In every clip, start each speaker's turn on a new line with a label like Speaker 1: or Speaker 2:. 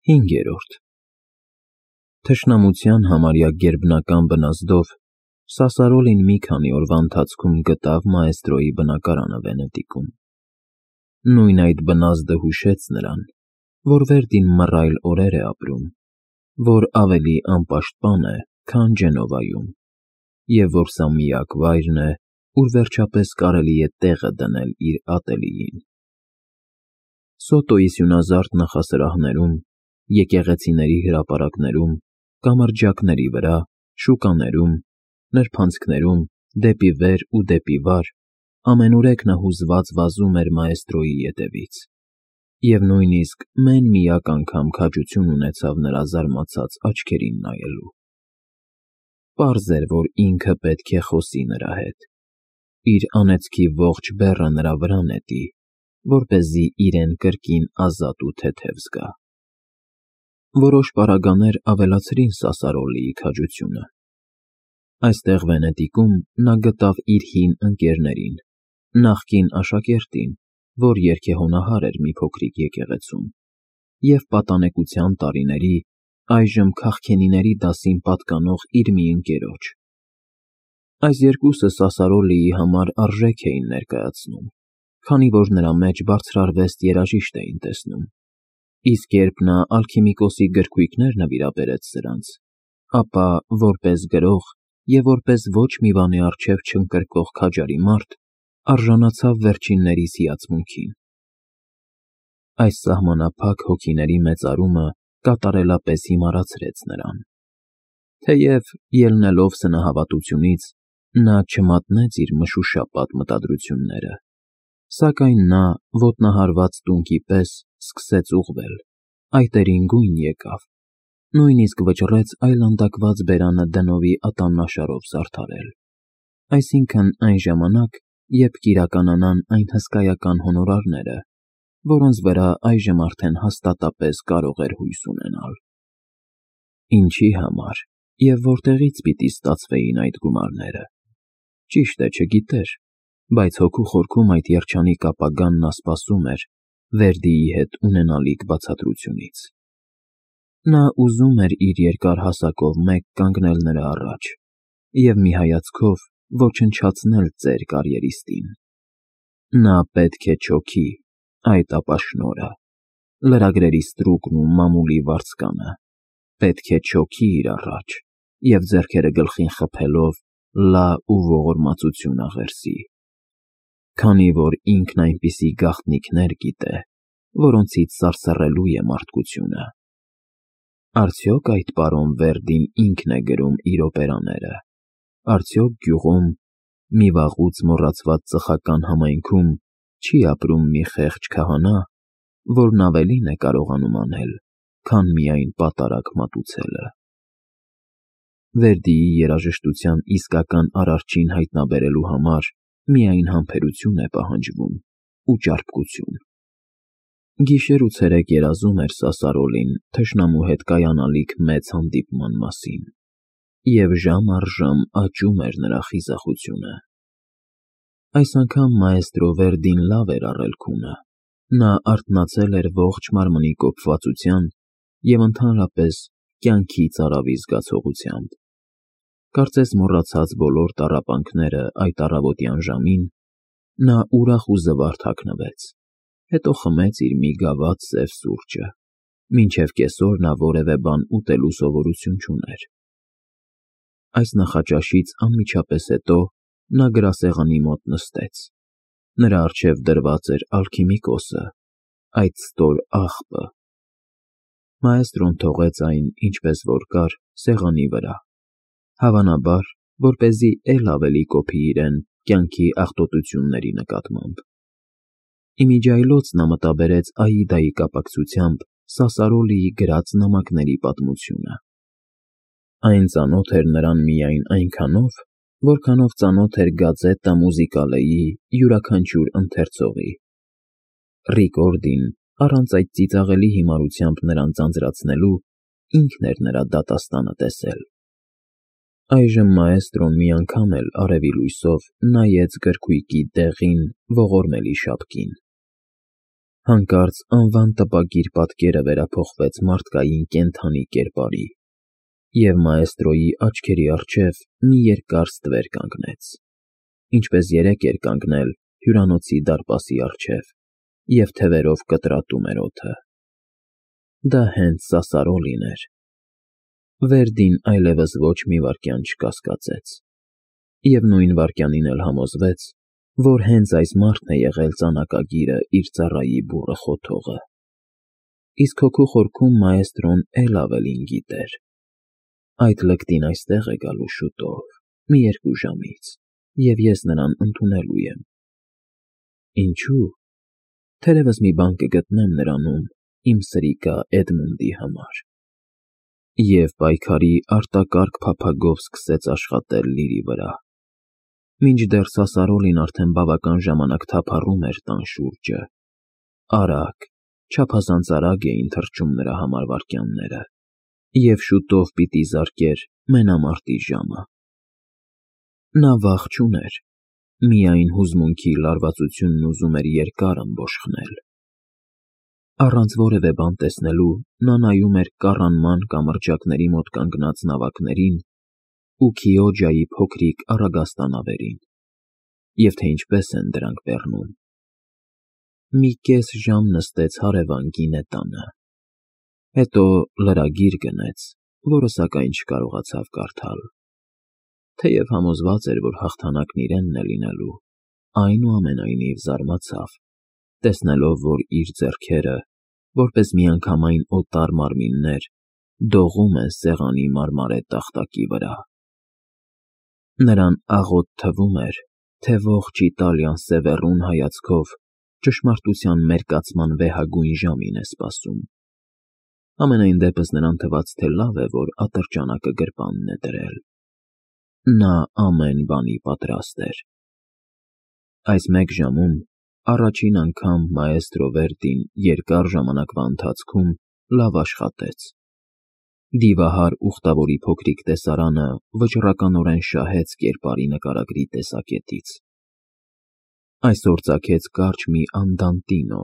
Speaker 1: 5. Թշնամության համարյա գերբնական բնազդով Սասարոլին մի քանի օրվա ընթացքում գտավ մաեստրոյի բնակարանը Վենետիկում։ Նույն այդ բնազդը հուշեց նրան, որ Վերդին մռայլ օրեր է ապրում, որ ավելի անպաշտպան է, քան Ջենովայում, և որ սա միակ վայրն է, ուր վերջապես կարելի է տեղը դնել իր ատելյեին։ Սոտոյի սյունազարդ նախասրահներում, եկեղեցիների հրապարակներում, կամրջակների վրա, շուկաներում, նրբանցքներում, դեպի վեր ու դեպի վար, ամենուրեք նա հուզված վազում էր մաեստրոյի ետևից, և նույնիսկ մեն-միակ անգամ քաջություն ունեցավ նրա զարմացած աչքերին նայելու։ Պարզ էր, որ ինքը պետք է խոսի նրա հետ, իր անեծքի ողջ բեռը նրա վրա նետի, որպեսզի իրեն կրկին ազատ ու թեթև զգա։ Որոշ պարագաներ ավելացրին Սասարոլիի քաջությունը։ Այստեղ Վենետիկում նա գտավ իր հին ընկերներին, նախկին աշակերտին, որ երգեհոնահար էր մի փոքրիկ եկեղեցում, և պատանեկության տարիների, այժմ քաղքենիների դասին պատկանող իր մի ընկերոջ։ Այս երկուսը Սասարոլիի համար արժեք էին ներկայացնում, քանի որ նրա մեջ բարձրարվեստ երաժիշտ էին տեսնում, իսկ երբ նա ալքիմիկոսի գրքույկներ նվիրաբերեց սրանց, ապա որպես գրող և որպես ոչ մի բանի առջև չընկրկող քաջարի մարդ արժանացավ վերջիններիս հիացմունքին։ Այս սահմանափակ հոգիների մեծարումը կատարելապես հիմարացրեց նրան։ Թեև, ելնելով սնահավատությունից, նա չմատնեց իր մշուշապատ մտադրությունները, սակայն նա, ոտնահարված տունկի պես, սկսեց ուղղվել, այտերին գույն եկավ, նույնիսկ վճռեց այլանդակված բերանը դնովի ատամնաշարով զարդարել, այսինքն այն ժամանակ, երբ կիրականանան այն հսկայական հոնորարները, որոնց վրա այժմ արդեն հաստատապես կարող էր հույս ունենալ։ Ինչի համար և որտեղից պիտի ստացվեին այդ գումարները, ճիշտ է, չգիտեր, բայց հոգու խորքում այդ երջանիկ ապագան նա սպասում էր Վերդիի հետ ունենալիք բացատրությունից։ Նա ուզում էր իր երկար հասակով մեկ կանգնել նրա առաջ և մի հայացքով ոչնչացնել ծեր կարիերիստին։ Նա պետք է չոքի այդ ապաշնորհը, լրագրերի ստրուկն ու մամուլի վարձկանը, պետք է չոքի իր առաջ և ձեռքերը գլխին խփելով լա ու ողորմածություն աղերսի, քանի որ ինքն այնպիսի գաղտնիքներ գիտե, որոնցից սարսռելու է մարդկությունը։ Արդյոք այդ պարոն Վերդին ինքն է գրում իր օպերաները, արդյոք գյուղում, մի վաղուց մոռացված ծխական համայնքում չի ապրում մի խեղճ քահանա, որն ավելին է կարողանում անել, քան միայն պատարագ մատուցելը։ Վերդիի երաժշտության իսկական արարչին հայտնաբերելու համար միայն համբերություն է պահանջվում ու ճարպկություն։ Գիշեր ու ցերեկ երազում էր Սասարոլին թշնամու հետ կայանալիք մեծ հանդիպման մասին, և ժամ առ ժամ աճում էր նրա խիզախությունը։ Այս անգամ մաեստրո Վերդին լավ էր առել քունը, նա արթնացել էր ողջ մարմնի կոփվածության և ընդհանրապես կյանքի ծարավի զգացողությամբ։ Կարծես մոռացած բոլոր տառապանքները այդ առավոտյան ժամին, նա ուրախ ու զվարթ հագնվեց, հետո խմեց իր մի գավաթ սև սուրճը, մինչև կեսօր նա որևէ բան ուտելու սովորություն չուներ։ Այս նախաճաշից անմիջապես հետո նա գրասեղանի մոտ նստեց։ Նրա առջև դրված էր ալքիմիկոսը, այդ ստոր աղբը։ Մաեստրոն թողեց այն, ինչպես որ կար, սեղանի վրա, հավանաբար, որպեսզի էլ ավելի կոփի իրեն կյանքի աղտոտությունների նկատմամբ։ Իմիջիայլոց նա մտաբերեց Աիդայի կապակցությամբ Սասարոլիի գրած նամակների պատմությունը։ Այն ծանոթ էր նրան միայն այնքանով, որքանով ծանոթ էր Գազետա Մուզիկալեի յուրաքանչյուր ընթերցողի։ Ռիկորդին, առանց այդ ծիծաղելի հիմարությամբ նրան ձանձրացնելու, ինքն էր նրա դատաստանը տեսել։ Այժմ մաեստրոն մի անգամ էլ արևի լույսով նայեց գրքույկի դեղին, ողորմելի շապկին։ Հանկարծ անվան տպագիր պատկերը վերափոխվեց մարդկային կենդանի կերպարի, և մաեստրոյի աչքերի առջև մի երկար ստվեր կանգնեց, ինչպես երեկ էր կանգնել հյուրանոցի դարպասի առջև և թևերով կտրատում էր օդը։ Դա հենց Սասարոլին էր։ Վերդին այլևս ոչ մի վայրկյան չկասկածեց, և նույն վայրկյանին էլ համոզվեց, որ հենց այս մարդն է եղել ծանակագիրը իր ծառայի բուռը խոթողը։ Իսկ հոգու խորքում մաեստրոն էլ ավելին գիտեր. այդ լկտին այստեղ է գալու շուտով, մի 2 ժամից, և ես նրան ընդունելու եմ։ Ինչու՞։ Թերևս մի բան կգտնեմ նրանում իմ սրիկա Էդմունդի համար։ Եվ պայքարի արտակարգ փափագով սկսեց աշխատել լիրի վրա, մինչդեռ Սասարոլին արդեն բավական ժամանակ թափառում էր տան շուրջը։ Արագ, չափազանց արագ էին թռչում նրա համար վայրկյանները, և շուտով պիտի զարկեր մենամարտի ժամը։ Նա վախ չուներ, միայն հուզմունքի լարվածությունն ուզում էր երկար ըմբոշխնել։ Առանց որևէ բան տեսնելու նա նայում էր կառանման կամրջակների մոտ կանգնած նավակներին ու Քիոջայի փոքրիկ առագաստանավերին, և թե ինչպես են դրանք բեռնում։ Մի կես ժամ նստեց հարևան գինետանը, հետո լրագիր գնեց, որը սակայն չկարողացավ կարդալ։ Թեև համոզված էր, որ հաղթանակն իրենն է լինելու, այնուամենայնիվ զարմացավ, տեսնելով, որ իր ձեռքերը, որպես միանգամայն օտար մարմիններ, դողում են սեղանի մարմարե տախտակի վրա։ Նրան աղոտ թվում էր, թե ողջ Իտալիան սևեռուն հայացքով ճշմարտության մերկացման վեհագույն ժամին է սպասում։ Համենայն դեպս նրան թվաց, թե լավ է, որ ատրճանակը գրպանն է դրել։ Նա ամեն բանի պատրաստ էր։ Այս մեկ ժամում առաջին անգամ մաեստրո Վերդին երկար ժամանակվա ընթացքում լավ աշխատեց։ Դիվահար ուխտավորի փոքրիկ տեսարանը վճռականորեն շահեց կերպարի նկարագրի տեսակետից։ Այսօր ծագեց կարճ մի անդանտինո,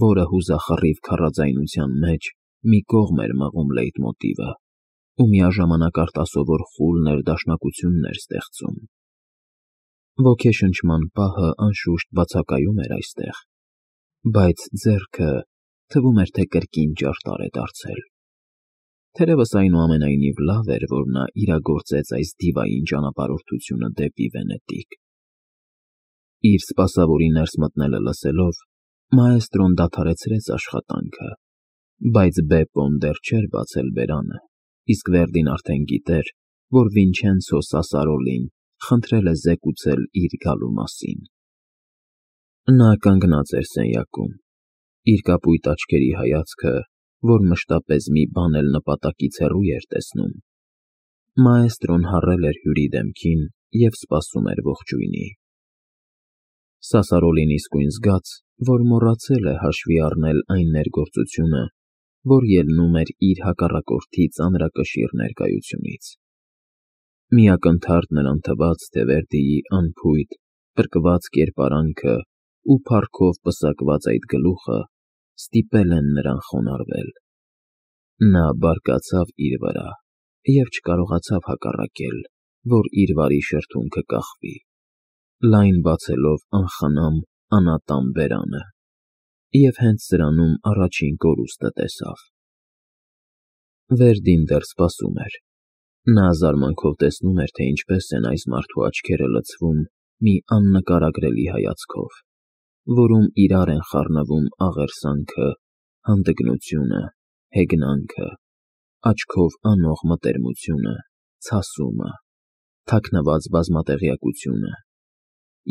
Speaker 1: որը հուզախռիվ քարաձայնության մեջ մի կողմ էր մղում լեյտմոտիվը ու միաժամանակ արտասովոր խուլ ներդաշնակություններ ստեղծում։ Ոգեշնչման պահը անշուշտ բացակայում էր այստեղ, բայց ձեռքը թվում էր, թե կրկին ճարտար է դարձել։ Թերևս այնուամենայնիվ լավ էր, որ նա իրագործեց այս դիվային ճանապարհորդությունը դեպի Վենետիկ։ Իր սպասավորի ներս մտնելը լսելով, մաեստրոն դադարեցրեց աշխատանքը, բայց Բեպոն դեռ չէր բացել բերանը, իսկ Վերդին արդեն գիտեր, որ Վինչենցո Սասարոլին խնդրել է զեկուցել իր գալու մասին։ Նա կանգնած էր սենյակում, իր կապույտ աչքերի հայացքը, որ մշտապես մի բան էլ նպատակից հեռու էր տեսնում։ Մաեստրոն հառել էր հյուրի դեմքին և սպասում էր ողջույնի։ Սասարոլին իսկույն զգաց, որ մոռացել է հաշվի առնել այն ներգործությունը, որ ելնում էր իր հակառակորդի ծանրակշիռ ներկայությունից։ Մի ակնթարթ նրան թվաց, թե Վերդիի անփույթ, պրկված կերպարանքը ու փառքով պսակված այդ գլուխը ստիպել են նրան խոնարհվել։ Նա բարկացավ իր վրա և չկարողացավ հակառակել, որ իր վարի շրթունքը կախվի, լայն բացելով անխնամ անատամ բերանը, և հենց սրանում առաջին կորուստը տեսավ։ Վերդին դեռ սպասում էր։ Նա զարմանքով տեսնում էր, թե ինչպես են այս մարդու աչքերը լցվում մի աննկարագրելի հայացքով, որում իրար են խառնվում աղերսանքը, հանդգնությունը, հեգնանքը, աչքով անող մտերմությունը, ցասումը, թաքնված բազմատեղյակությունը,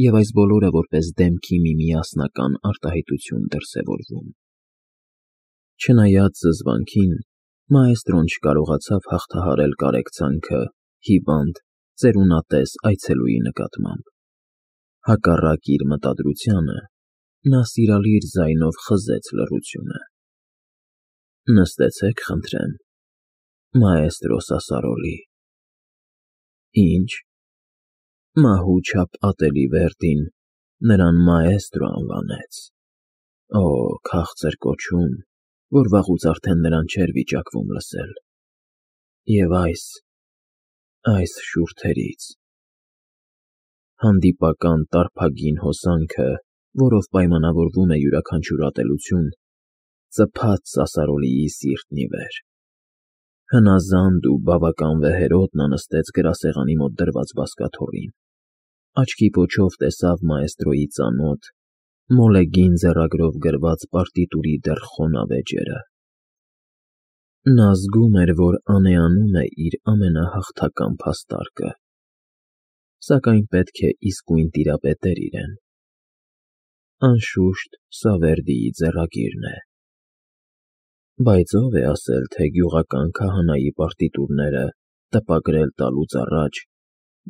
Speaker 1: և այս բոլորը որպես դեմքի մի միասնական արտահայտություն դրսևորվում։ Չնայած զզվանքին, մաեստրոն չկարողացավ հաղթահարել կարեկցանքը հիվանդ, ծերունատես այցելուի նկատմամբ։ Հակառակ իր մտադրությանը, նա սիրալիր ձայնով խզեց լռությունը։ Նստեցեք, խնդրեմ, մաեստրո Սասարոլի։ Ինչ։ Մահու չափ ատելի Վերդին նրան մաեստրո անվանեց։ Օ, քաղցր կոչում, որ վաղուց արդեն նրան չէր վիճակվում լսել։ Եվ այս շուրթերից հանդիպական տարփագին հոսանքը, որով պայմանավորվում է յուրաքանչյուր ատելություն, ծփաց Սասարոլիի սիրտն ի վեր։ Հնազանդ ու բավական վեհերոտ նա նստեց գրասեղանի մոտ դրված բազկաթոռին, աչքի պոչով տեսավ մաեստրոյի ծանոթ, մոլեգին ձեռագրով գրված պարտիտուրի դեռ խոնավ էջերը։ Նա զգում էր, որ անեանում է իր ամենահաղթական փաստարկը, սակայն պետք է իսկույն տիրապետեր իրեն։ Անշուշտ, սա Վերդիի ձեռագիրն է։ Բայց ով է ասել, թե գյուղական քահանայի պարտիտուրները տպագրել տալուց առաջ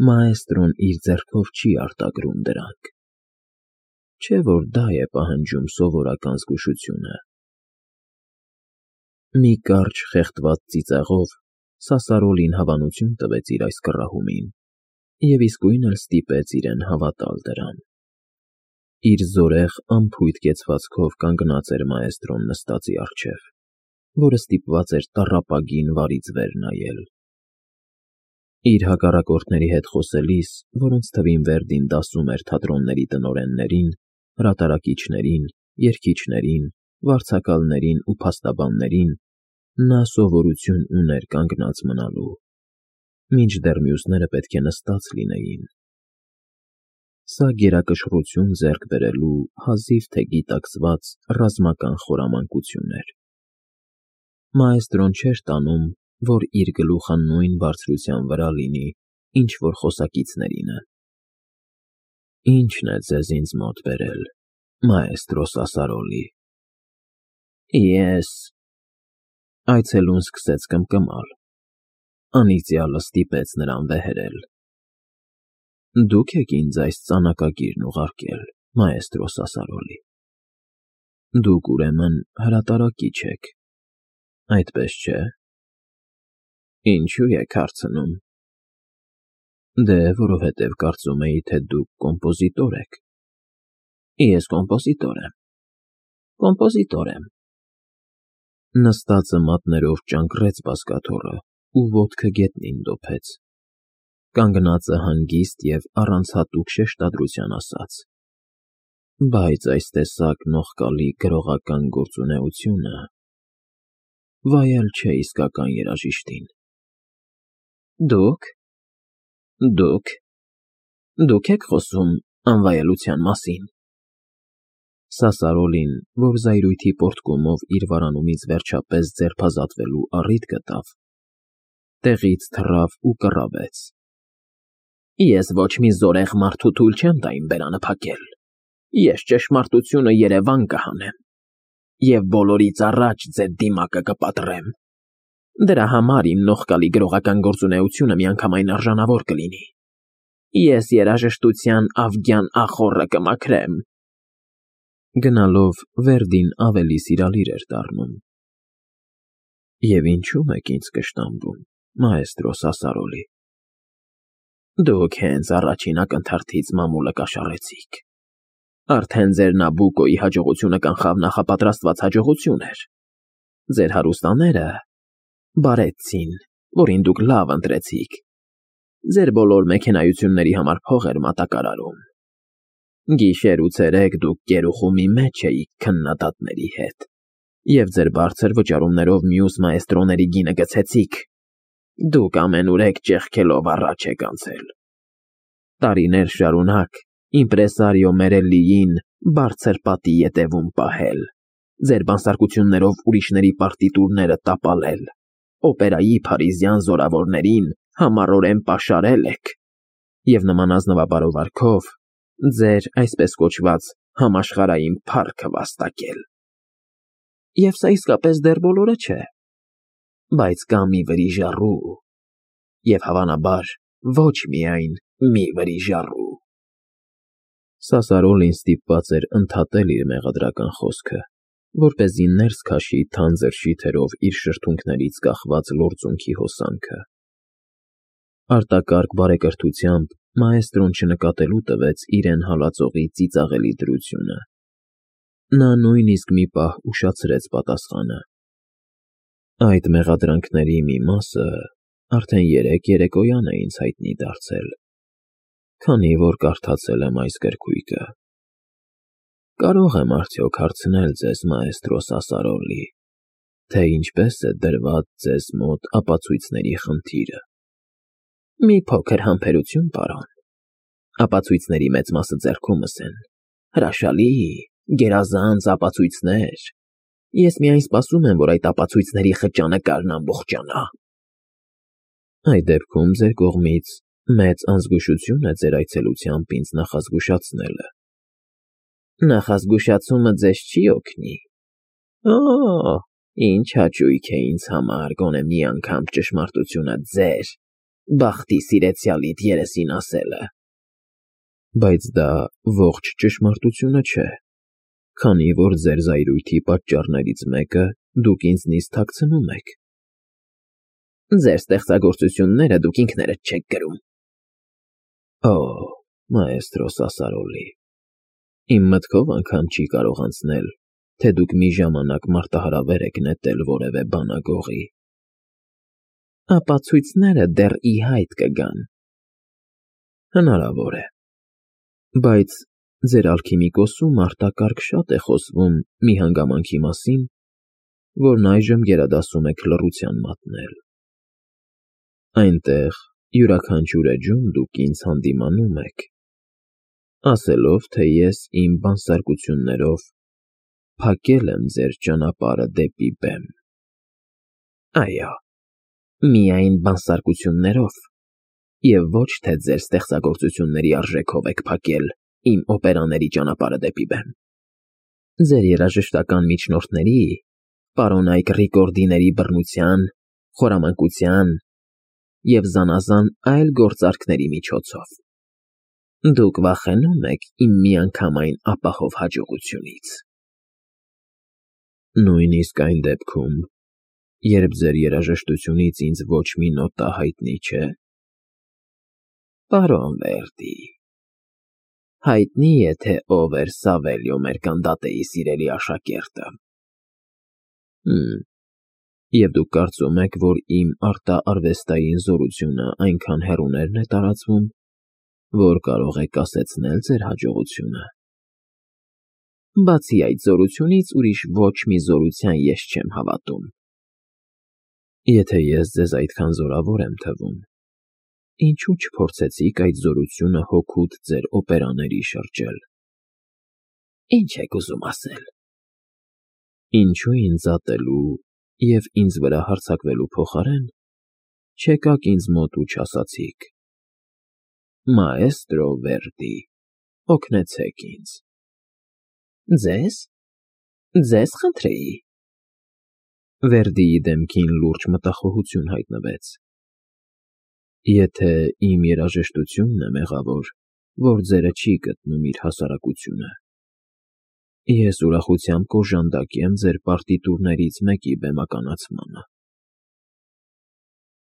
Speaker 1: մաեստրոն իր ձեռքով չի արտագրում դրանք։ Չէ՞ որ դա է պահանջում սովորական զգուշությունը։ Մի կարճ խեղդված ծիծաղով Սասարոլին հավանություն տվեց իր այս կռահումին և իսկույն էլ ստիպեց իրեն հավատալ դրան։ Իր զորեղ անփույթ կեցվածքով կանգնած էր մաեստրոն նստածի առջև, որը ստիպված էր տառապագին վարից վեր նայել։ Իր հակառակորդների հետ խոսելիս, որոնց թվին Վերդին դասում էր թատրոնների տնօրեններին, հրատարակիչներին, երգիչներին, վարձակալներին ու փաստաբաններին, նա սովորություն ուներ կանգնած մնալու, մինչդեռ մյուսները պետք է նստած լինեին։ Սա գերակշռություն ձեռք բերելու հազիվ թե գիտակցված ռազմական խորամանկություն էր։ Մաեստրոն չէր տանում, որ իր գլուխը նույն բարձրության վրա լինի, ինչ որ խոսակիցներինը։ Ի՞նչն է ձեզ ինձ մոտ բերել, մաեստրո Սասարոլի։ Ես… Այցելուն սկսեց կմկմալ։ Անիծյալը ստիպեց նրան վեհերել։ Դուք եք ինձ այս ծանակագիրն ուղարկել, մաեստրո Սասարոլի։ Դուք, ուրեմն, հրատարակիչ եք, այդպես չէ՞։ Ինչու եք հարցնում։ Դե, որովհետև կարծում էի, թե դուք կոմպոզիտոր եք։ Ես կոմպոզիտոր եմ։ Նստածը մատներով ճանկռեց բազկաթոռը ու ոտքը գետնին դոփեց։ Կանգնածը հանգիստ և առանց հատուկ շեշտադրության ասաց. Բայց այս տեսակ նողկալի գրողական գործունեությունը վայել չէ իսկական երաժիշտին։ Դուք եք խոսում անվայելության մասին։ Սասարոլին, որ զայրույթի պոռթկումով իր վարանումից վերջապես ձերբազատվելու առիթ գտավ, տեղից թռավ ու կռավեց. Ես ոչ մի զորեղ մարդու թույլ չեմ տա իմ բերանը փակել։ Ես ճշմարտությունը երևան կհանեմ և բոլորից առաջ ձեր դիմակը կպատրեմ։ Դրա համար իմ նողկալի գրողական գործունեությունը միանգամայն արժանավոր կլինի։ Ես երաժշտության ավգյան ախոռը կմաքրեմ։ Գնալով Վերդին ավելի սիրալիր էր դառնում։ Եվ ինչու՞մ եք ինձ կշտամբում, մաեստրո Սասարոլի։ Դուք հենց առաջին ակնթարթից մամուլը կաշառեցիք։ Արդեն ձեր Նաբուկոյի հաջողությունը կանխավ նախապատրաստված հաջողություն էր։ Ձեր հարուստաները բարեցին, որին դուք լավ ընտրեցիք։ Ձեր բոլոր մեքենայությունների համար փող էր մատակարարում։ Գիշեր ու ցերեկ դուք գերուխումի մեջ էիք քննադատների հետ, և ձեր բարձր վճարումներով մյուս մաեստրոների գինը գցեցիք։ Դուք ամենուրեք ճեղքելով առաջ եք անցել։ Տարիներ շարունակ իմպրեսարիո Մերելլիին բարձր պատի ետևում պահել, ձեր բանսարկություններով ուրիշների պարտիտուրները տապալել, օպերայի փարիզյան զորավորներին համառորեն պաշարել եք և նման ազնվաբարովարքով ձեր այսպես կոչված համաշխարհային փառքը վաստակել։ Եվ սա իսկապես դեռ բոլորը չէ, բայց կա մի վրիժառու, և հավանաբար ոչ միայն մի վրիժառու։ Սասարոլին ստիպված էր ընդհատել իր մեղադրական խոսքը, որպեսզի ներս քաշի թանձր շիթերով իր շրթունքներից կախված լորձունքի հոսանքը։ Արտակարգ բարեկրթությամբ մաեստրոն չնկատելու տվեց իրեն հալածողի ծիծաղելի դրությունը։ Նա նույնիսկ մի պահ ուշացրեց պատասխանը. Այդ մեղադրանքների մի մասը արդեն երեկոյան է ինձ հայտնի դարձել, քանի որ կարդացել եմ այս գրքույկը։ Կարող եմ արդյոք հարցնել ձեզ, մաեստրո Սասարոլի, թե ինչպես է դրված ձեզ մոտ ապացույցների խնդիրը։ Մի փոքր համբերություն, պարոն։ Ապացույցների մեծ մասը ձեռքումս են։ Հրաշալի, գերազանց ապացույցներ։ Ես միայն սպասում եմ, որ այդ ապացույցների խճանկարն ամբողջանա։ Այդ դեպքում ձեր կողմից մեծ անզգուշություն է ձեր այցելությամբ ինձ նախազգուշացնելը։ Նախազգուշացումը ձեզ չի օգնի։ Օ, ինչ հաճույք է ինձ համար գոնե մի անգամ ճշմարտությունը ձեր բախտի սիրեցյալիդ երեսին ասելը։ Բայց դա ողջ ճշմարտությունը չէ, քանի որ ձեր զայրույթի պատճառներից մեկը դուք ինձնից թաքցնում եք։ Ձեր ստեղծագործությունները դուք ինքներդ չեք գրում։ Օ, մաեստրո Սասարոլի, իմ մտքով անգամ չի կարող անցնել, թե դուք մի ժամանակ մարտահրավեր եք նետել որևէ բանագողի։ Ապացույցները դեռ ի հայտ կգան։ Հնարավոր է, բայց ձեր ալքիմիկոսում արտակարգ շատ է խոսվում մի հանգամանքի մասին, որն այժմ գերադասում եք լռության մատնել։ Այնտեղ յուրաքանչյուր էջում դուք ինձ հանդիմանում եք, ասելով, թե ես իմ բանսարկություններով փակել եմ ձեր ճանապարհը դեպի բեմ։ Այո, միայն բանսարկություններով, և ոչ թե ձեր ստեղծագործությունների արժեքով եք փակել իմ օպերաների ճանապարհը դեպի բեմ։ Ձեր երաժշտական միջնորդների, պարոնայք Ռիկորդիների բռնության, խորամանկության և զանազան այլ գործարքների միջոցով։ Դուք վախենում եք իմ միանգամայն ապահով հաջողությունից։ Նույնիսկ այն դեպքում, երբ ձեր երաժշտությունից ինձ ոչ մի նոտա հայտնի չէ։ Պարոն Վերդի, հայտնի է, թե ով էր Սավելիո Մերկանդատեի սիրելի աշակերտը։ Եվ դուք կարծում եք, որ իմ արտաարվեստային զորությունը այնքան հեռուներն է տարածվում, որ կարող է կասեցնել ձեր հաջողությունը։ Բացի այդ զորությունից ուրիշ ոչ մի զորության ես չեմ հավատում։ Եթե ես ձեզ այդքան զորավոր եմ թվում, ինչու չփորձեցիք այդ զորությունը հօգուտ ձեր օպերաների շրջել։ Ինչ եք ուզում ասել։ Ինչու ինձ ատելու և ինձ վրա հարձակվելու փոխարեն չեկաք ինձ մոտ ու չասացիք. Մաեստրո Վերդի, օգնեցեք ինձ։ Ձեզ։ Ձեզ խնդրեի։ Վերդիի դեմքին լուրջ մտախոհություն հայտնվեց։ Եթե իմ երաժշտությունն է մեղավոր, որ ձերը չի գտնում իր հասարակությունը, ես ուրախությամբ կօժանդակեմ ձեր պարտիտուրներից մեկի բեմականացմանը։